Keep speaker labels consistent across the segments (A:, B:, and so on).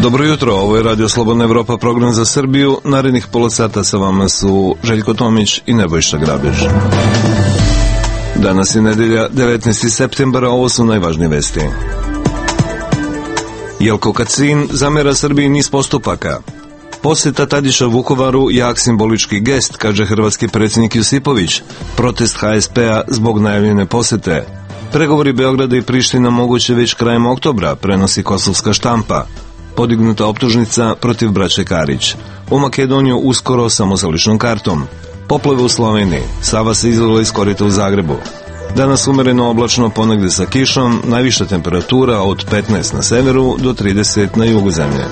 A: Dobro jutro, ovo je Radio Slobodna Evropa, program za Srbiju. Narednih pola sata sa vama su Željko Tomić i Nebojša Grabež. Danas je nedelja, 19. septembra, ovo su najvažnije vesti. Jelko Kacin zamera Srbiji niz postupaka. Poseta Tadića Vukovaru jak simbolički gest, kaže hrvatski predsjednik Josipović. Protest HSP-a zbog najavljene posete. Pregovori Beograda i Priština moguće već krajem oktobra, prenosi kosovska štampa. Podignuta optužnica protiv braće Karić. U Makedoniju uskoro samo sa ličnom kartom. Poplave u Sloveniji. Sava se izlila iz korita u Zagrebu. Danas umereno oblačno, ponegde sa kišom, najviša temperatura od 15 na severu do 30 na jugu zemlje.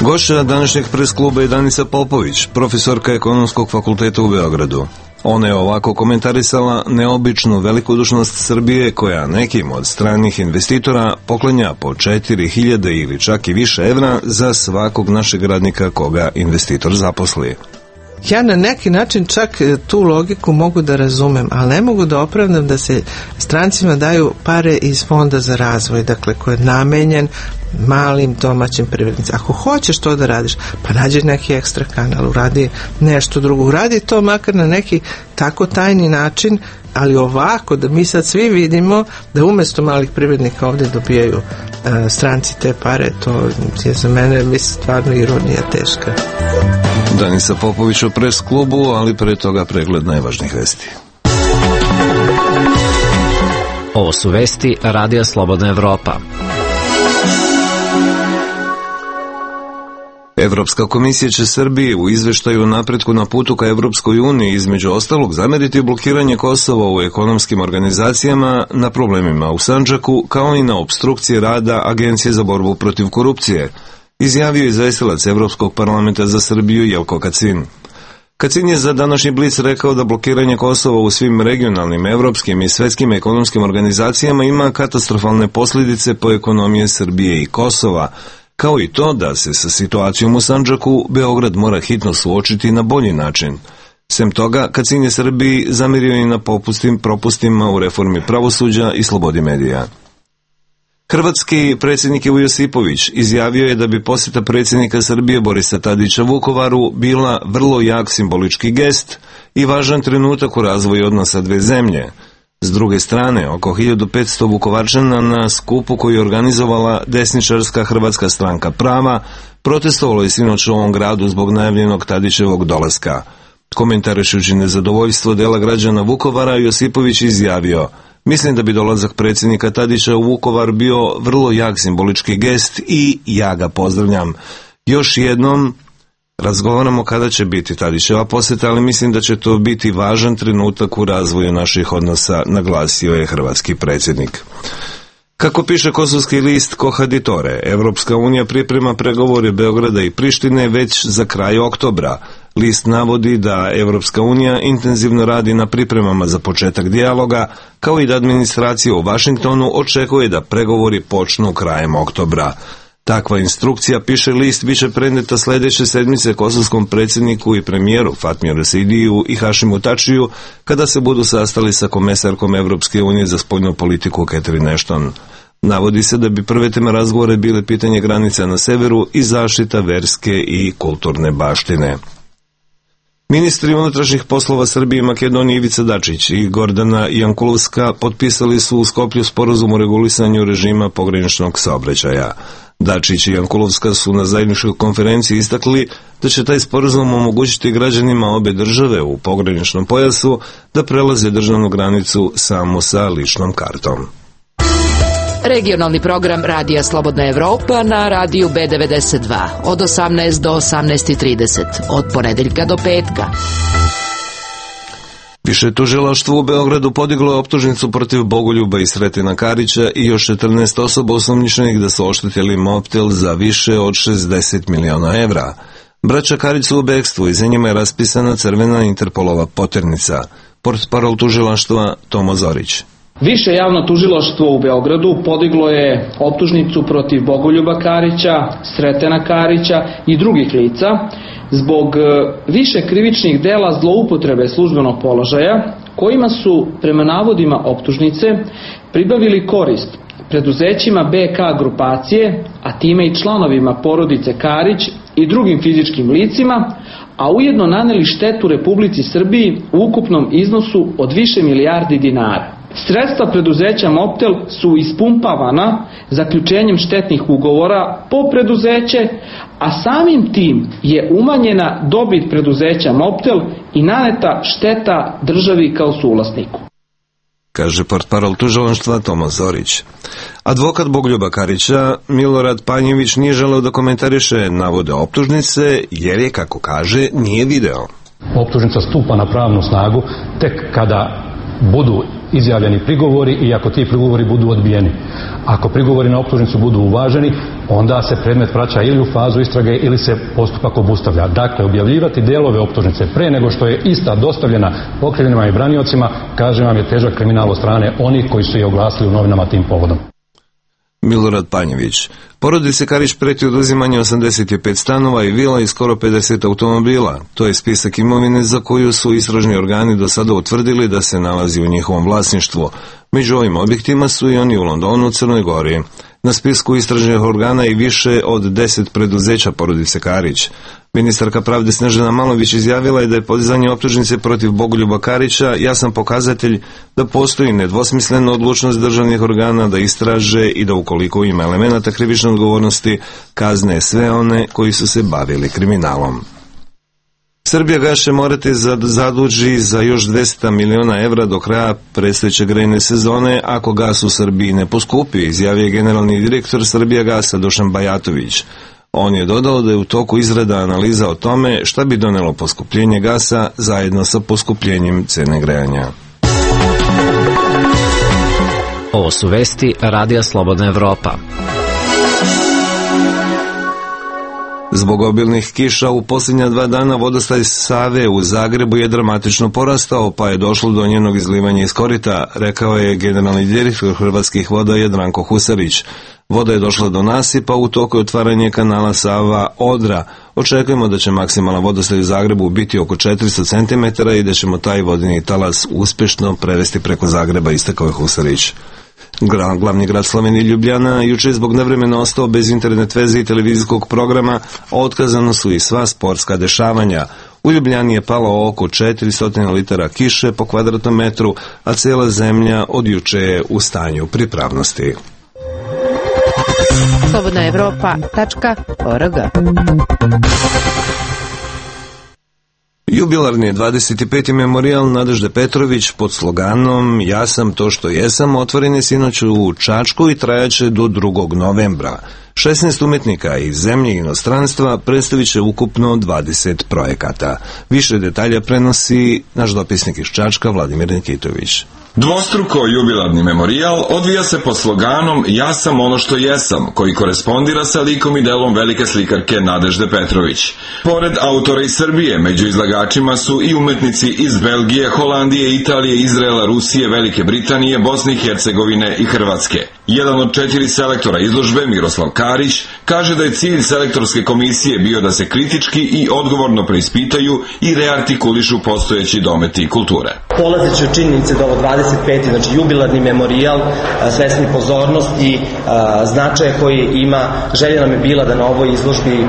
A: Gošća današnjeg pres kluba je Danica Popović, profesorka Ekonomskog fakulteta u Beogradu. Ona je ovako komentarisala neobičnu velikodušnost Srbije koja nekim od stranih investitora poklanja po 4.000 ili čak i više evra za svakog našeg radnika koga investitor zaposli.
B: Ja na neki način čak tu logiku mogu da razumem, ali ne mogu da opravdam da se strancima daju pare iz fonda za razvoj, dakle koji je namenjen malim domaćim privrednicima. Ako hoćeš to da radiš, pa nađi neki ekstra kanal, uradi nešto drugo, uradi to makar na neki tako tajni način, ali ovako da mi sad svi vidimo da umjesto malih privrednika ovdje dobijaju stranci te pare, to je za mene stvarno ironija teška.
A: Danica Popović u pres klubu, ali pre toga pregled najvažnijih vesti.
C: Ovo su vesti Radija Slobodna Evropa.
A: Evropska komisija će Srbiji u izveštaju o napretku na putu ka Evropskoj uniji između ostalog zameriti blokiranje Kosova u ekonomskim organizacijama, na problemima u Sandžaku, kao i na opstrukcije rada Agencije za borbu protiv korupcije, izjavio izvestilac Evropskog parlamenta za Srbiju Jelko Kacin. Kacin je za današnji Blic rekao da blokiranje Kosova u svim regionalnim, evropskim i svetskim ekonomskim organizacijama ima katastrofalne posljedice po ekonomije Srbije i Kosova, kao i to da se sa situacijom u Sandžaku Beograd mora hitno suočiti na bolji način. Sem toga, Kacin je Srbiji zamerio i na propustima u reformi pravosuđa i slobodi medija. Hrvatski predsjednik Ivo Josipović izjavio je da bi posjeta predsjednika Srbije Borisa Tadića Vukovaru bila vrlo jak simbolički gest i važan trenutak u razvoju odnosa dve zemlje. S druge strane, oko 1500 Vukovarčana na skupu koji je organizovala desničarska Hrvatska stranka prava protestovalo je sinoć u ovom gradu zbog najavljenog Tadićevog dolaska. Komentarišući nezadovoljstvo dela građana Vukovara, Josipović izjavio: "Mislim da bi dolazak predsjednika Tadića u Vukovar bio vrlo jak simbolički gest i ja ga pozdravljam. Još jednom razgovaramo kada će biti Tadićeva posjeta, ali mislim da će to biti važan trenutak u razvoju naših odnosa", naglasio je hrvatski predsjednik. Kako piše kosovski list Kohaditore, Evropska unija priprema pregovore Beograda i Prištine već za kraj oktobra. List navodi da Evropska unija intenzivno radi na pripremama za početak dijaloga, kao i da administracija u Vašingtonu očekuje da pregovori počnu krajem oktobra. Takva instrukcija, piše list, biće preneta sljedeće sedmice kosovskom predsjedniku i premijeru Fatmiru Rasidiju i Hašimu Tačiju kada se budu sastali sa komesarkom Evropske unije za spoljnu politiku Catherine Ashton. Navodi se da bi prve teme razgovore bile pitanje granica na severu i zaštita verske i kulturne baštine. Ministri unutrašnjih poslova Srbije i Makedonije Ivica Dačić i Gordana Jankulovska potpisali su u Skoplju sporazum o regulisanju režima pograničnog saobraćaja. Dačić i Jankulovska su na zajedničkoj konferenciji istakli da će taj sporazum omogućiti građanima obe države u pograničnom pojasu da prelaze državnu granicu samo sa ličnom kartom.
D: Regionalni program Radija Slobodna Evropa na radiju B92 od 18 do 18:30 od ponedeljka do petka.
A: Više tužilaštvo u Beogradu podiglo je optužnicu protiv Bogoljuba i Sretena Karića i još 14 osoba osumnjičenih da su oštetili Mobtel za više od 60 miliona evra. Braća Karić su u bekstvu i za njima je raspisana crvena Interpolova poternica. Portparol tužilaštva Tomo Zorić.
E: Više javno tužilaštvo u Beogradu podiglo je optužnicu protiv Bogoljuba Karića, Sretena Karića i drugih lica zbog više krivičnih dela zloupotrebe službenog položaja kojima su, prema navodima optužnice, pribavili korist preduzećima BK grupacije, a time i članovima porodice Karić i drugim fizičkim licima, a ujedno naneli štetu Republici Srbiji u ukupnom iznosu od više milijardi dinara. Sredstva preduzeća Mobtel su ispumpavana zaključenjem štetnih ugovora po preduzeće, a samim tim je umanjena dobit preduzeća Mobtel i naneta šteta državi kao suvlasniku,
A: kaže portparol tužilaštva Tomo Zorić. Advokat Bogoljuba Karića Milorad Panjević nije želeo da komentariše navode optužnice jer je, kako kaže, nije video.
F: Optužnica stupa na pravnu snagu tek kada budu izjavljeni prigovori i ako ti prigovori budu odbijeni. Ako prigovori na optužnicu budu uvaženi, onda se predmet vraća ili u fazu istrage ili se postupak obustavlja. Dakle, objavljivati delove optužnice pre nego što je ista dostavljena okrivljenima i braniocima, kažem vam, je težak kriminal od strane onih koji su je oglasili u novinama tim povodom.
A: Milorad Panjević. Porodici Karić preti oduzimanje 85 stanova i vila i skoro 50 automobila. To je spisak imovine za koju su istražni organi do sada utvrdili da se nalazi u njihovom vlasništvu. Među ovim objektima su i oni u Londonu, Crnoj Gori. Na spisku istražnih organa i više od 10 preduzeća porodice Karić. Ministarka pravde Snežana Malović izjavila je da je podizanje optužnice protiv Bogoljuba Karića jasan pokazatelj da postoji nedvosmislena odlučnost državnih organa da istraže i da ukoliko ima elemenata krivične odgovornosti kazne sve one koji su se bavili kriminalom. Srbijagas će morati zaduži za još 200 miliona evra do kraja predstojeće grejne sezone ako gas u Srbiji ne poskupi, izjavio je generalni direktor Srbijagasa Dušan Bajatović. On je dodao da je u toku izrada analiza o tome šta bi donelo poskupljenje gasa zajedno sa poskupljenjem cene grejanja.
C: Ovo su vesti Radija Slobodna Evropa.
A: Zbog obilnih kiša u posljednja 2 dana vodostaj Save u Zagrebu je dramatično porastao, pa je došlo do njenog izlivanja iz korita, rekao je generalni direktor Hrvatskih voda Jadranko Husarić. Voda je došla do nasipa, u toku je otvaranje kanala Sava-Odra. Očekujemo da će maksimalan vodostaj u Zagrebu biti oko 400 cm i da ćemo taj vodeni talas uspješno prevesti preko Zagreba, istakao je Husarić. Glavni grad Slovenije Ljubljana juče je zbog nevremena ostao bez internet veze i televizijskog programa, a otkazano su i sva sportska dešavanja. U Ljubljani je palo oko 400 litara kiše po kvadratnom metru, a cijela zemlja od juče je u stanju pripravnosti.
G: slobodnaevropa.org.
A: Jubilarni 25. memorijal Nadežde Petrović pod sloganom Ja sam to što jesam otvoren je sinoć u Čačku i trajaće do 2. novembra. 16 umetnika iz zemlje i inostranstva predstavit će ukupno 20 projekata. Više detalja prenosi naš dopisnik iz Čačka Vladimir Nikitović.
H: Dvostruko jubilarni memorijal odvija se pod sloganom Ja sam ono što jesam, koji korespondira sa likom i delom velike slikarke Nadežde Petrović. Pored autora iz Srbije, među izlagačima su i umetnici iz Belgije, Holandije, Italije, Izraela, Rusije, Velike Britanije, Bosne i Hercegovine i Hrvatske. Jedan od 4 selektora izložbe, Miroslav Karić, kaže da je cilj selektorske komisije bio da se kritički i odgovorno preispitaju i reartikulišu postojeći dometi kulture.
I: Polazeći od činjenice da ovo 25. znači jubilarni memorijal, svesni pozornosti, značaja koji ima, želja nam je bila da na ovoj izložbi,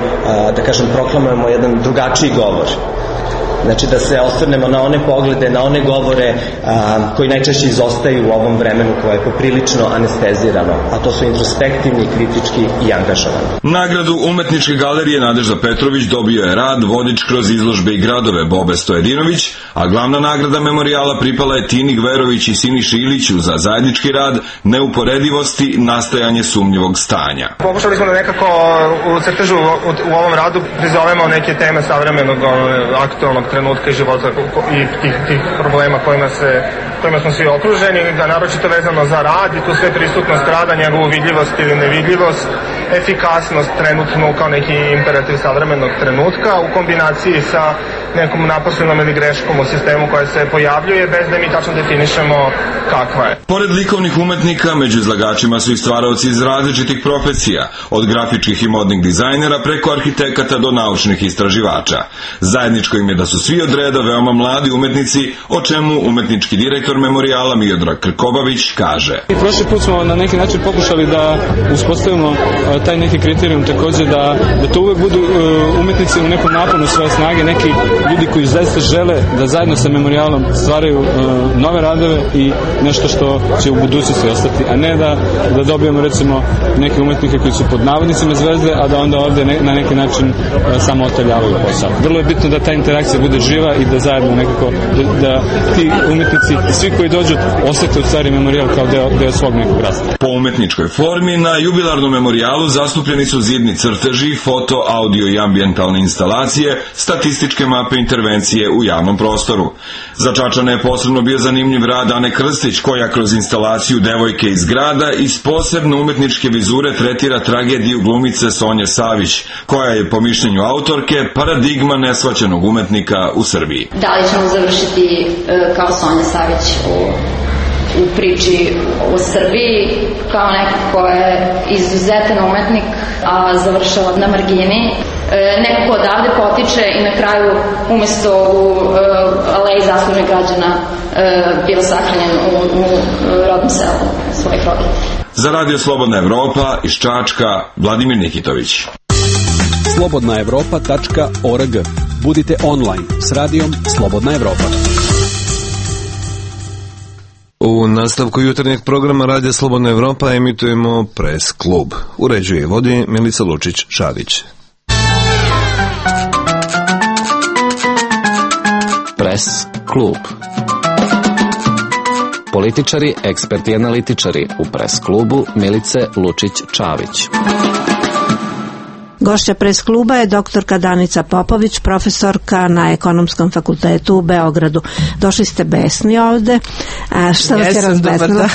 I: da kažem, proklamujemo jedan drugačiji govor. Znači da se osvrnemo na one poglede, na one govore koji najčešće izostaju u ovom vremenu koje je poprilično anestezirano, a to su introspektivni, kritički i angažovani.
H: Nagradu Umetničke galerije Nadežda Petrović dobio je rad Vodič kroz izložbe i gradove Bobe Stojedinović, a glavna nagrada memorijala pripala je Tini Gverović i Siniši Iliću za zajednički rad Neuporedivosti, nastajanje sumnjivog stanja.
J: Pokušali smo da nekako u crtežu u ovom radu prizovemo neke teme savremenog aktualnog trenutka i života i tih problema kojima smo svi okruženi, da naročito vezano za rad i tu sve prisutnost rada, njegovu vidljivost ili nevidljivost, efikasnost trenutnu kao neki imperativ savremenog trenutka u kombinaciji sa nekom naposlenom ili greškom u sistemu koja se pojavljuje bez da mi tačno definišemo kakva je.
H: Pored likovnih umetnika, među izlagačima su i stvaraoci iz različitih profesija, od grafičkih i modnih dizajnera preko arhitekata do naučnih istraživača. Zajedničko im je da su svi od reda veoma mladi umetnici, o čemu umetnički direktor memorijala Miodrag Krkobabić kaže.
G: Prošli put smo na neki način pokušali da uspostavimo taj neki kriterijum takođe da to uvek budu umetnici u nekom naponu svoje snage, neki ljudi koji zaista žele da zajedno sa memorijalom stvaraju nove radove i nešto što će u budućnosti ostati, a ne da dobijemo recimo neke umetnike koji su pod navodnicima zvezde, a da onda ovde na neki način samo otaljavaju posao. Vrlo je bitno da ta interakcija bude živa i da zajedno nekako, da ti umetnici, svi koji dođu, osete u stvari memorijal kao deo svog nekog rasta.
H: Po umetničkoj formi, na jubilarnom memorijalu zastupljeni su zidni crteži, foto, audio i ambijentalne instalacije, statističke mape intervencije u javnom prostoru. Za Čačane je posebno bio zanimljiv rad Ane Krstić, koja kroz instalaciju Devojke iz grada iz posebno umetničke vizure tretira tragediju glumice Sonje Savić, koja je po mišljenju autorke paradigma nesvaćenog umetnika u Srbiji.
K: Da li ćemo završiti kao Sonja Savić u priči o Srbiji, kao neko ko je izuzetan umetnik, a završava na margini, neko ko odavde potiče i na kraju umesto u aleji zaslužnih građana bio sahranjen u rodnom selu svojih roditelja.
H: Za Radio Slobodna Evropa iz Čačka, Vladimir Nikitović.
L: slobodnaevropa.org. Budite online s radijom Slobodna Evropa.
A: U nastavku jutarnjeg programa Radija Slobodna Evropa emitujemo Press klub. Uređuje i vodi Milica Lučić-Šavić.
C: Press klub. Političari, eksperti i analitičari u Press klubu Milice Lučić-Čavić.
M: Gošća Press kluba je doktorka Danica Popović, profesorka na Ekonomskom fakultetu u Beogradu. Došli ste besni ovde. Šta vas je razbesnilo?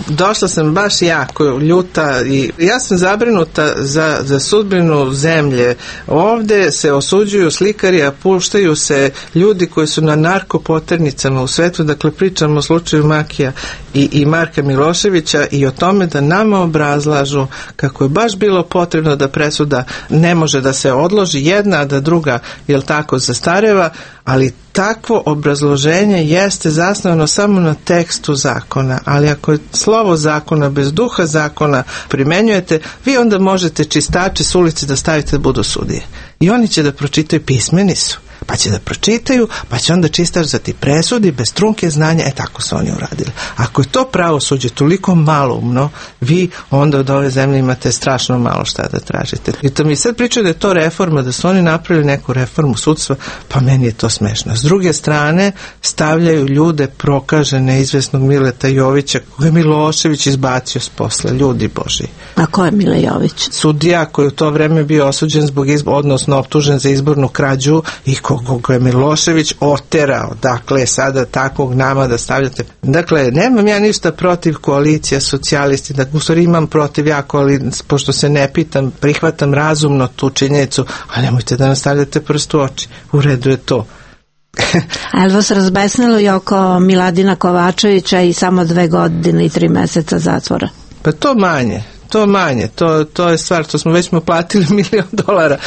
B: Došla sam baš jako ljuta i ja sam zabrinuta za sudbinu zemlje. Ovde se osuđuju slikari, a puštaju se ljudi koji su na narkopoternicama u svetu. Dakle, pričamo o slučaju Makija i Marka Miloševića i o tome da nama obrazlažu kako je baš bilo potrebno da presuda ne može da se odloži jedna, a da druga, jel tako, zastareva, ali takvo obrazloženje jeste zasnovano samo na tekstu zakona, ali ako je slovo zakona bez duha zakona primenjujete, vi onda možete čistače s ulice da stavite da budu sudije. I oni će da pročitaju, pismeni su, pa će da pročitaju, pa će onda čistač da ti presudi bez trunke znanja, tako su oni uradili. Ako je to pravosuđe toliko maloumno, vi onda od ove zemlje imate strašno malo šta da tražite. I to mi sad pričaju da je to reforma, da su oni napravili neku reformu sudstva, pa meni je to smešno. S druge strane, stavljaju ljude prokažene izvesnog Mileta Jovića, koje je Milošević izbacio s posla, ljudi boži.
M: A ko je Mile Jović?
B: Sudija koji u to vreme bio osuđen zbog odnosno optužen za izbornu krađu i koga je Milošević oterao. Dakle, sada takvog nama da stavljate. Dakle, nemam ja ništa protiv koalicija socijalisti, da u stvari imam protiv jako, ali pošto se ne pitam, prihvatam razumno tu činjenicu, a nemojte da nastavljate prst u oči. U redu je to.
M: A je li vas razbesnilo i oko Miladina Kovačevića i samo 2 godine i 3 meseca zatvora?
B: Pa to manje, to je stvar, to smo platili $1.000.000,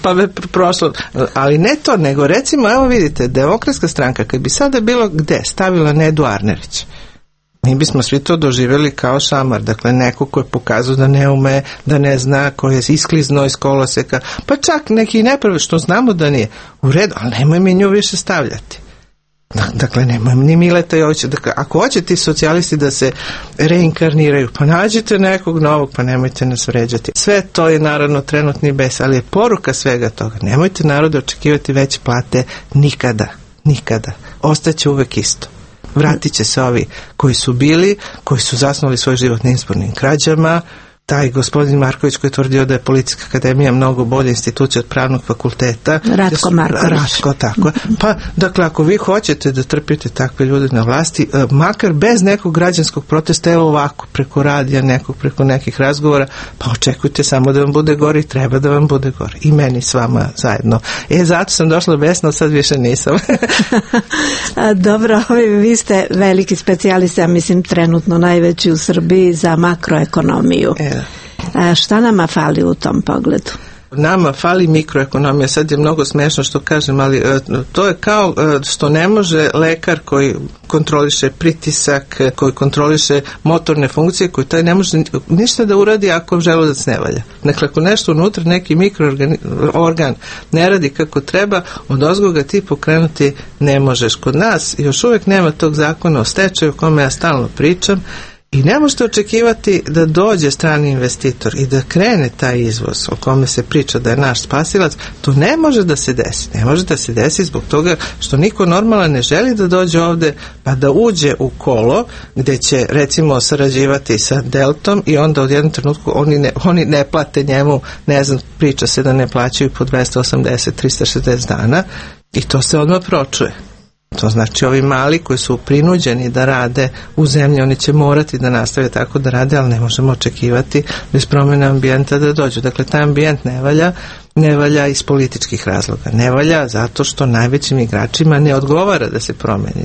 B: pa me prošlo, ali ne to, nego recimo, evo vidite, Demokratska stranka, kad bi sada bilo gde stavila Nedu Arnerić, mi bismo svi to doživjeli kao šamar, dakle neko ko je pokazao da ne ume, da ne zna, ko je isklizno iz koloseka, pa čak neki nepravi, što znamo da nije u redu, ali nemoj mi nju više stavljati. Dakle, nemoj ni Mileta Jovića. Dakle, ako hoće ti socijalisti da se reinkarniraju, pa nađite nekog novog, pa nemojte nas vređati. Sve to je naravno trenutni bes, ali je poruka svega toga. Nemojte narode očekivati veće plate nikada. Ostaće uvek isto. Vratit će se ovi koji su bili, koji su zasnovali svoj život na izbornim krađama, taj gospodin Marković koji je tvrdio da je Policijska akademija mnogo bolja institucija od pravnog fakulteta.
M: Ratko Marković.
B: Ratko, tako. Pa, dakle, ako vi hoćete da trpite takve ljude na vlasti, makar bez nekog građanskog protesta, evo ovako, preko radija, preko nekih razgovora, pa očekujte samo da vam bude gore i treba da vam bude gore. I meni s vama zajedno. Zato sam došla besno, sad više nisam.
M: Dobro, vi ste veliki specijalista, ja mislim trenutno najveći u Srbiji za makroekonomiju. Šta nama fali u tom pogledu?
B: Nama fali mikroekonomija. Sad je mnogo smešno što kažem, ali to je kao što ne može lekar koji kontroliše pritisak, koji kontroliše motorne funkcije, koji taj ne može ništa da uradi ako želudac ne valja. Dakle, ako nešto unutra, neki mikroorgan ne radi kako treba, odozgo ga ti pokrenuti ne možeš. Kod nas još uvijek nema tog zakona o stečaju o kome ja stalno pričam. I ne možete očekivati da dođe strani investitor i da krene taj izvoz o kome se priča da je naš spasilac. To ne može da se desi. Ne može da se desi zbog toga što niko normalan ne želi da dođe ovde pa da uđe u kolo gde će recimo sarađivati sa Deltom i onda od jednog trenutku oni ne plate njemu, ne znam, priča se da ne plaćaju po 280, 360 dana i to se odmah pročuje. To znači ovi mali koji su prinuđeni da rade u zemlji, oni će morati da nastave tako da rade, ali ne možemo očekivati bez promjene ambijenta da dođu. Dakle, taj ambijent ne valja iz političkih razloga. Ne valja zato što najvećim igračima ne odgovara da se promeni.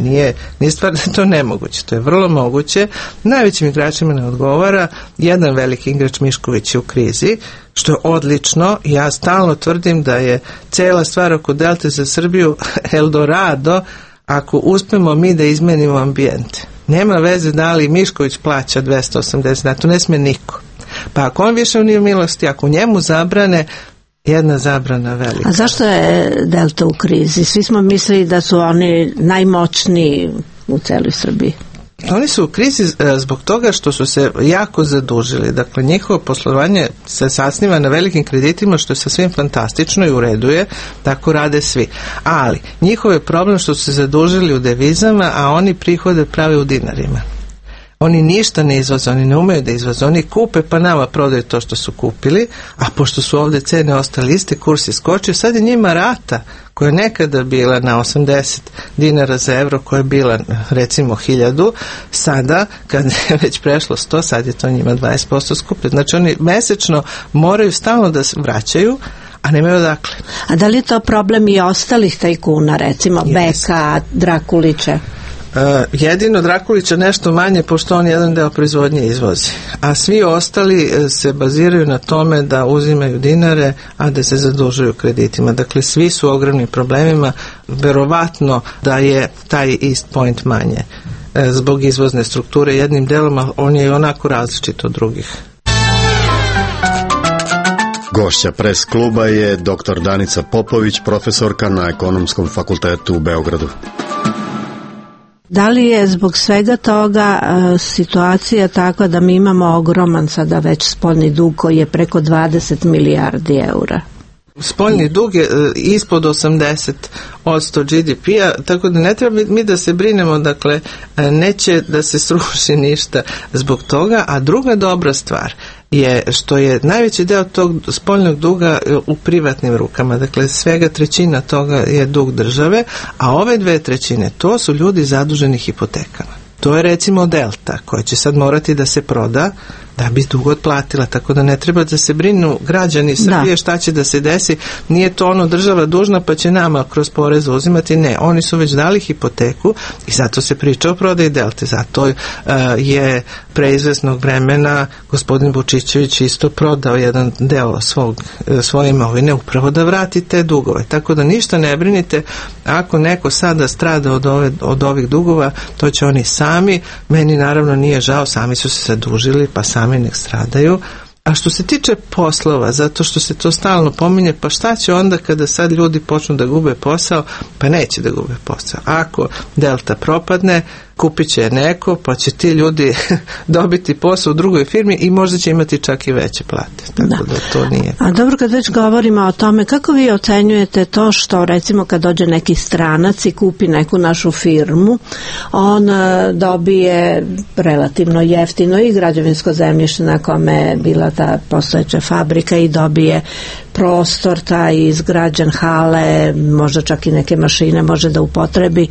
B: Nije stvar da je to nemoguće. To je vrlo moguće. Najvećim igračima ne odgovara. Jedan veliki igrač, Mišković, je u krizi, što je odlično. Ja stalno tvrdim da je cela stvar oko Delte za Srbiju Eldorado ako uspemo mi da izmenimo ambijent. Nema veze da li Mišković plaća 280, to ne sme niko. Pa ako on više nije u milosti, ako njemu zabrane, jedna zabrana velika.
M: A zašto je Delta u krizi? Svi smo mislili da su oni najmoćniji u celoj Srbiji.
B: Oni su u krizi zbog toga što su se jako zadužili. Dakle, njihovo poslovanje se sasniva na velikim kreditima, što je sasvim fantastično i u redu je, tako rade svi. Ali, njihov je problem što su se zadužili u devizama, a oni prihode prave u dinarima. Oni ništa ne izvoze, oni ne umeju da izvoze, oni kupe pa nama prodaju to što su kupili, a pošto su ovdje cene ostale iste, kurs je skočio, sad je njima rata koja je nekada bila na 80 dinara za evro, koja je bila recimo 1000, sada kad je već prešlo 100, sad je to njima 20% skuplje. Znači oni mesečno moraju stalno da se vraćaju, a nemaju odakle.
M: A da li je to problem i ostalih tajkuna, recimo Beka, Drakulića?
B: Jedino Drakulića nešto manje, pošto on jedan deo proizvodnje izvozi. A svi ostali se baziraju na tome da uzimaju dinare, a da se zadužuju kreditima. Dakle, svi su u ogromnim problemima. Verovatno da je taj East Point manje zbog izvozne strukture jednim delom, ali on je i onako različit od drugih.
N: Gošća Pres kluba je dr. Danica Popović, profesorka na Ekonomskom fakultetu u Beogradu.
M: Da li je zbog svega toga situacija takva da mi imamo ogroman sada već spoljni dug koji je preko 20 milijardi eura?
B: Spoljni dug je ispod 80% GDP-a, tako da ne treba mi da se brinemo, dakle, neće da se sruši ništa zbog toga, a druga dobra stvar je što je najveći deo tog spoljnog duga u privatnim rukama, dakle svega 1/3 toga je dug države, a ove 2/3 to su ljudi zaduženi hipotekama. To je recimo Delta koja će sad morati da se proda da bi dug otplatila, tako da ne treba da se brinu građani Srbije šta će da se desi. Nije to ono država dužna pa će nama kroz porez uzimati, ne, oni su već dali hipoteku i zato se priča o prodaji Delte, zato je pre izvesnog vremena gospodin Vučićević isto prodao jedan deo svoje imovine upravo da vrati te dugove, tako da ništa ne brinite, ako neko sada strada od ovih dugova, to će oni sami, meni naravno nije žao, sami su se zadužili pa sami nek stradaju. A što se tiče poslova, zato što se to stalno pominje, pa šta će onda kada sad ljudi počnu da gube posao? Pa neće da gube posao. Ako Delta propadne, kupit će neko, pa će ti ljudi dobiti posao u drugoj firmi i možda će imati čak i veće plate. Tako da to nije.
M: A dobro, kad već govorimo o tome, kako vi ocenjujete to što, recimo, kad dođe neki stranac i kupi neku našu firmu, on dobije relativno jeftino i građevinsko zemljište na kome je bila ta postojeća fabrika i dobije prostor, taj izgrađen, hale, možda čak i neke mašine može da upotrebi,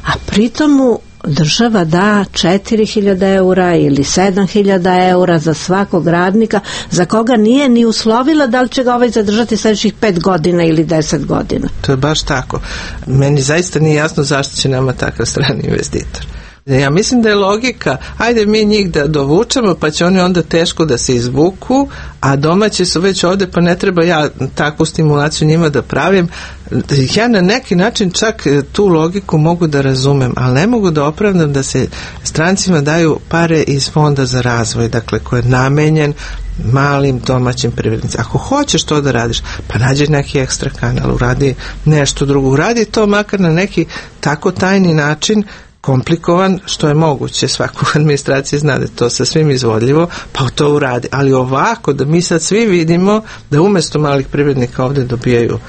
M: a pritom mu država da 4.000 eura ili 7.000 eura za svakog radnika za koga nije ni uslovila da li će ga ovaj zadržati sljedećih 5 godina ili 10 godina.
B: To je baš tako. Meni zaista nije jasno zašto će nama takav strani investitor. Ja mislim da je logika, ajde mi njih da dovučemo, pa će oni onda teško da se izvuku, a domaći su već ovde, pa ne treba ja takvu stimulaciju njima da pravim. Ja na neki način čak tu logiku mogu da razumem, ali ne mogu da opravdam da se strancima daju pare iz fonda za razvoj, dakle koji je namenjen malim domaćim privrednicima. Ako hoćeš to da radiš, pa nađi neki ekstra kanal, uradi nešto drugo, uradi to makar na neki tako tajni način, komplikovan što je moguće, svaka administracija zna da je to sa svim izvodljivo, pa to uradi. Ali ovako, da mi sad svi vidimo da umjesto malih privrednika ovdje dobijaju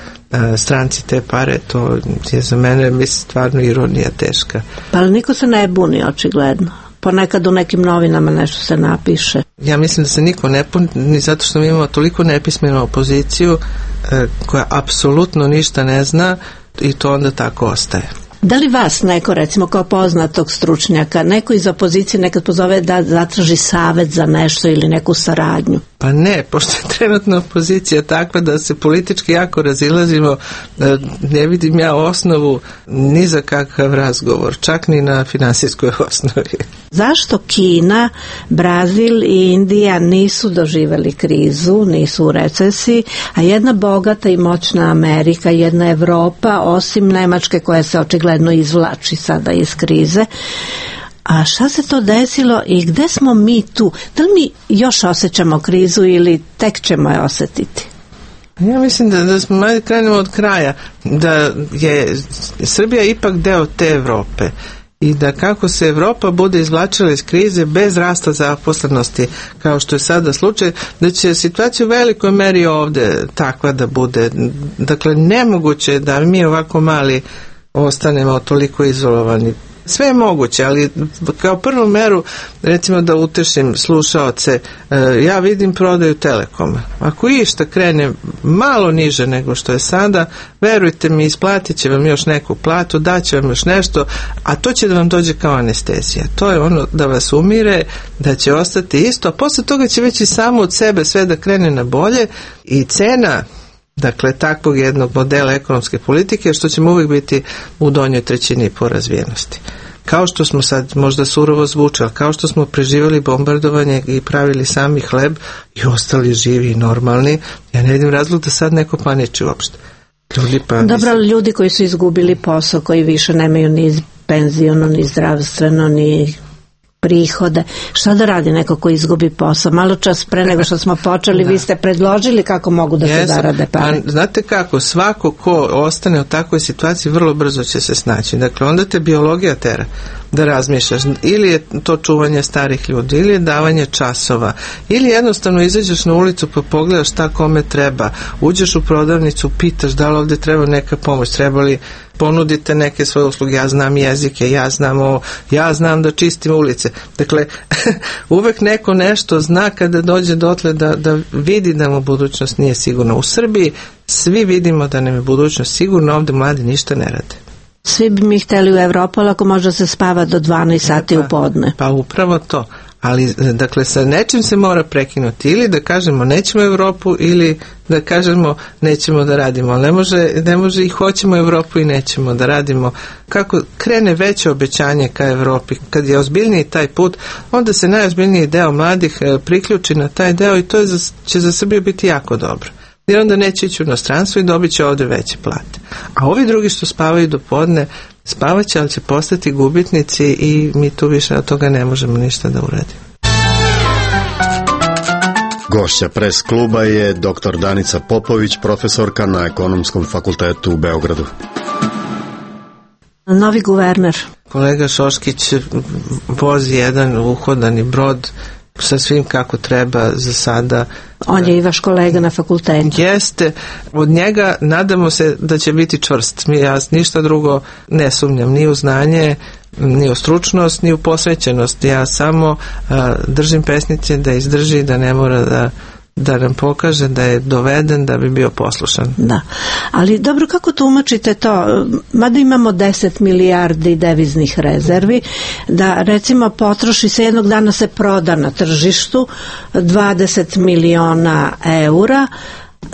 B: stranci te pare, to je za mene, mislim, stvarno ironija teška.
M: Pa niko se ne buni, očigledno. Ponekad u nekim novinama nešto se napiše.
B: Ja mislim da se niko ne puni, zato što mi imamo toliko nepismenu opoziciju koja apsolutno ništa ne zna i to onda tako ostaje.
M: Da li vas neko, recimo kao poznatog stručnjaka, neko iz opozicije nekad pozove da zatraži savjet za nešto ili neku saradnju?
B: Pa ne, pošto je trenutna opozicija takva da se politički jako razilazimo, ne vidim ja osnovu ni za kakav razgovor, čak ni na finansijskoj osnovi.
M: Zašto Kina, Brazil i Indija nisu doživjeli krizu, nisu u recesiji, a jedna bogata i moćna Amerika, jedna Evropa, osim Nemačke koja se očigledno izvlači sada iz krize? A šta se to desilo i gde smo mi tu? Da li mi još osjećamo krizu ili tek ćemo je osjetiti?
B: Ja mislim da smo malo krenemo od kraja, da je Srbija ipak deo te Evrope i da kako se Evropa bude izvlačila iz krize bez rasta zaposlenosti, kao što je sada slučaj, da će situacija u velikoj meri ovde takva da bude. Dakle, nemoguće je da mi ovako mali ostanemo toliko izolovani. Sve je moguće, ali kao prvu meru, recimo da utešim slušaoce, ja vidim prodaju Telekoma. Ako išta krene malo niže nego što je sada, verujte mi, isplatit će vam još neku platu, daće vam još nešto, a to će da vam dođe kao anestezija. To je ono da vas umire, da će ostati isto, a posle toga će već i samo od sebe sve da krene na bolje i cena, dakle, takvog jednog modela ekonomske politike, što ćemo uvijek biti u donjoj trećini po razvijenosti. Kao što smo sad, možda surovo zvuče, ali kao što smo preživjeli bombardovanje i pravili sami hleb i ostali živi i normalni, ja ne vidim razlog da sad neko paniči uopšte.
M: Dobro, ljudi koji su izgubili posao, koji više nemaju ni penziono, ni zdravstveno, ni prihode. Šta da radi neko ko izgubi posao? Malo čas pre nego što smo počeli, vi ste predložili kako mogu da se zarade pare.
B: Znate kako, svako ko ostane u takvoj situaciji vrlo brzo će se snaći. Dakle, onda te biologija tera da razmišljaš. Ili je to čuvanje starih ljudi, ili je davanje časova, ili jednostavno izađeš na ulicu pa pogledaš šta kome treba. Uđeš u prodavnicu, pitaš da li ovdje treba neka pomoć, treba li ponudite neke svoje usluge, ja znam jezike, ja znam da čistim ulice. Dakle, uvek neko nešto zna kada dođe dotle da vidi da mu budućnost nije sigurna. U Srbiji svi vidimo da nam je budućnost sigurna, ovdje mladi ništa ne rade.
M: Svi bi mi hteli u Evropu, ako može se spava do 12 sati u podne.
B: Pa upravo to. Ali, dakle, sa nečim se mora prekinuti. Ili da kažemo nećemo Evropu, ili da kažemo nećemo da radimo. Ne može i hoćemo Evropu i nećemo da radimo. Kako krene veće obećanje ka Evropi, kad je ozbiljniji taj put, onda se najozbiljniji deo mladih priključi na taj deo i to će za Srbiju biti jako dobro. Jer onda neće ići u inostranstvo i dobit će ovdje veće plate. A ovi drugi što spavaju do podne, spavat će, ali će postati gubitnici i mi tu više od toga ne možemo ništa da uradimo.
N: Gošća Pres kluba je dr. Danica Popović, profesorka na Ekonomskom fakultetu u Beogradu.
M: Novi guverner.
B: kolega Šoškić vozi jedan uhodani brod sa svim kako treba za sada.
M: On je i vaš kolega na fakultetu.
B: Jeste. Od njega nadamo se da će biti čvrst. Ja ništa drugo ne sumnjam, ni u znanje, ni u stručnost, ni u posvećenost. Ja samo držim pesnice da izdrži, da ne mora da nam pokaže da je doveden da bi bio poslušan.
M: Da, ali dobro, kako tumačite to? Mada imamo 10 milijardi deviznih rezervi, da recimo potroši se jednog dana se proda na tržištu 20 miliona eura,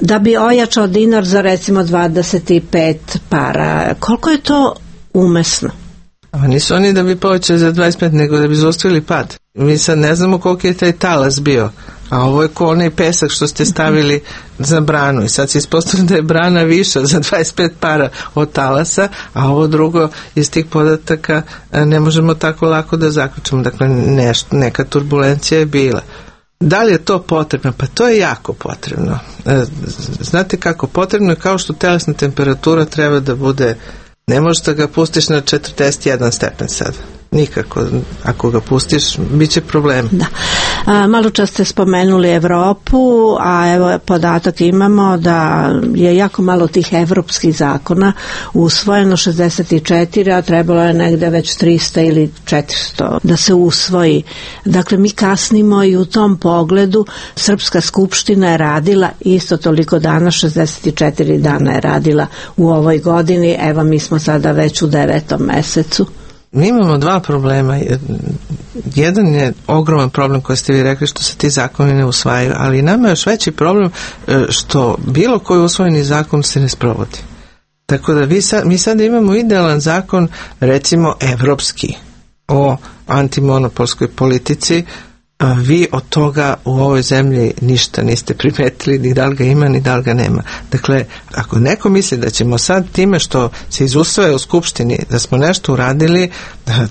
M: da bi ojačao dinar za recimo 25 para. Koliko je to umesno?
B: A nisu oni da bi povećali za 25, nego da bi zaustavili pad. Mi sad ne znamo koliko je taj talas bio, a ovo je ko onaj pesak što ste stavili za branu i sad se ispostavlja da je brana viša za 25 para od talasa, a ovo drugo iz tih podataka ne možemo tako lako da zaključimo. Dakle, neka turbulencija je bila. Da li je to potrebno? Pa to je jako potrebno. Znate kako? Potrebno je kao što telesna temperatura treba da bude. Ne možeš da ga pustiš na 41 stepen sad. Nikako. Ako ga pustiš, bit će problem.
M: Da. Malo čas ste spomenuli Evropu, a evo podatak imamo da je jako malo tih evropskih zakona usvojeno, 64, a trebalo je negde već 300 ili 400 da se usvoji. Dakle, mi kasnimo i u tom pogledu. Srpska skupština je radila isto toliko dana, 64 dana je radila u ovoj godini. Evo, mi smo sada već u 9. mesecu.
B: Mi imamo dva problema. Jedan je ogroman problem koji ste vi rekli što se ti zakoni ne usvajaju, ali nama je još veći problem što bilo koji usvojeni zakon se ne sprovodi. Tako da mi sad imamo idealan zakon, recimo evropski, o antimonopolskoj politici. Vi od toga u ovoj zemlji ništa niste primetili, ni da li ga ima, ni da li ga nema. Dakle, ako neko misli da ćemo sad time što se izusvaja u Skupštini, da smo nešto uradili,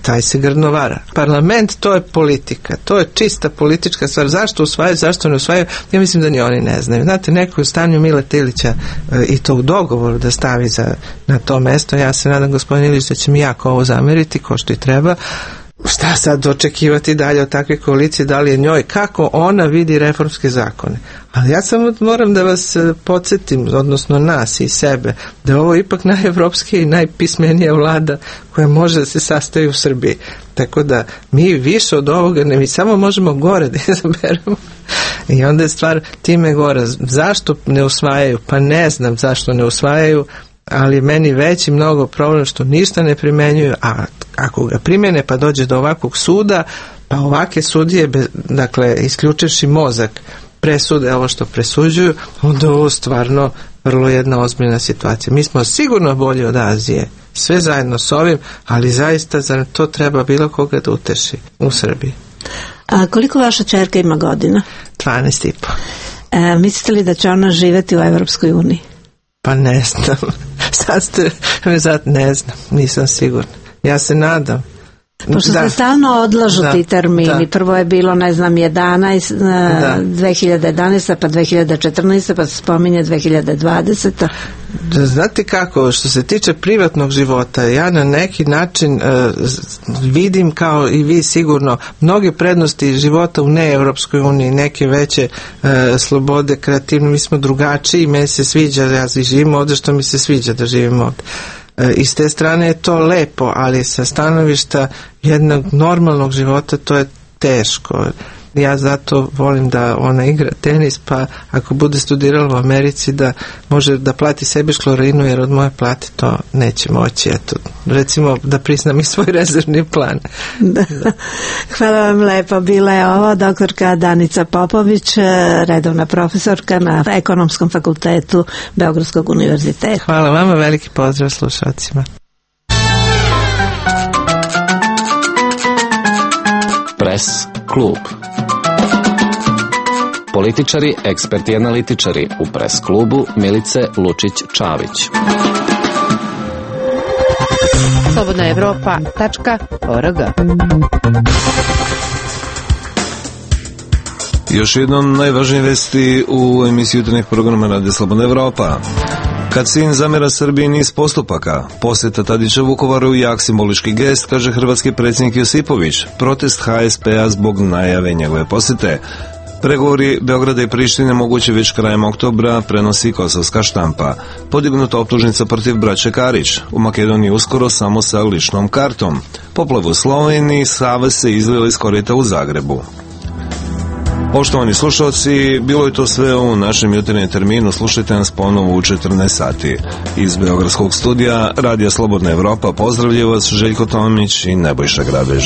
B: taj se grdno vara. Parlament, to je politika, to je čista politička stvar. Zašto usvajaju, zašto ne usvajaju, ja mislim da ni oni ne znaju. Znate, neko je u stanju Mileta Ilića i to u dogovoru da stavi na to mesto. Ja se nadam, gospodin Ilić, da će mi jako ovo zameriti, ko što i treba. Šta sad očekivati dalje od takve koalicije, da li je njoj, kako ona vidi reformske zakone. Ali ja samo moram da vas podsjetim, odnosno nas i sebe, da je ovo ipak najevropskija i najpismenija vlada koja može da se sastoji u Srbiji. Tako da mi više od ovoga mi samo možemo gore da izaberemo. I onda je stvar time gore. Zašto ne usvajaju? Pa ne znam zašto ne usvajaju, ali meni veći mnogo problem što ništa ne primenjuju, a ako ga primjene pa dođe do ovakvog suda, pa ovake sudije, dakle, isključivši mozak, presude ovo što presuđuju, onda ovo stvarno vrlo jedna ozbiljna situacija. Mi smo sigurno bolji od Azije, sve zajedno s ovim, ali zaista za to treba bilo koga da uteši u Srbiji.
M: A koliko vaša ćerka ima godina?
B: 12,5.
M: Mislite li da će ona živjeti u Evropskoj uniji?
B: Pa ne znam. Ne znam, nisam sigurna. Ja se nadam.
M: Pošto se stalno odlažu ti termini. Prvo je bilo, 2011, pa 2014, pa se spominje 2020.
B: Znate kako, što se tiče privatnog života, ja na neki način vidim, kao i vi sigurno, mnoge prednosti života u neevropskoj uniji, neke veće slobode, kreativno, mi smo drugačiji, meni se sviđa, ja živim ovdje što mi se sviđa da živim ovdje. I s te strane je to lepo, ali sa stanovišta jednog normalnog života to je teško. Ja zato volim da ona igra tenis, pa ako bude studirala u Americi da može da plati sebi školarinu, jer od moje plate to neće moći. Eto, recimo da priznam i svoj rezervni plan.
M: Da. Hvala vam lepo. Bila je ovo doktorka Danica Popović, redovna profesorka na Ekonomskom fakultetu Beogradskog univerziteta.
B: Hvala vama, veliki pozdrav slušalcima.
C: Press klub. Političari, eksperti i analitičari u Press klubu Milice Lučić-Čavić.
D: slobodnaevropa.org.
A: Još jednom najvažnije vesti u emisiji jutarnjeg programa Radio Slobodna Evropa. Kad sin zamjera Srbiji niz postupaka, posjeta Tadića Vukovaru jak simbolički gest, kaže hrvatski predsjednik Josipović, protest HSP-a zbog najave njegove posjete. Pregovori Beograda i Prištine moguće već krajem oktobra, prenosi kosovska štampa. Podignuta optužnica protiv braće Karić. U Makedoniji uskoro samo sa ličnom kartom. Poplavu u Sloveniji, Sava se izlila iz korita u Zagrebu. Poštovani slušalci, bilo je to sve u našem jutarnjem terminu. Slušajte nas ponovo u 14 sati. Iz Beogradskog studija Radija Slobodna Evropa pozdravljaju vas Željko Tomić i Nebojša Grabež.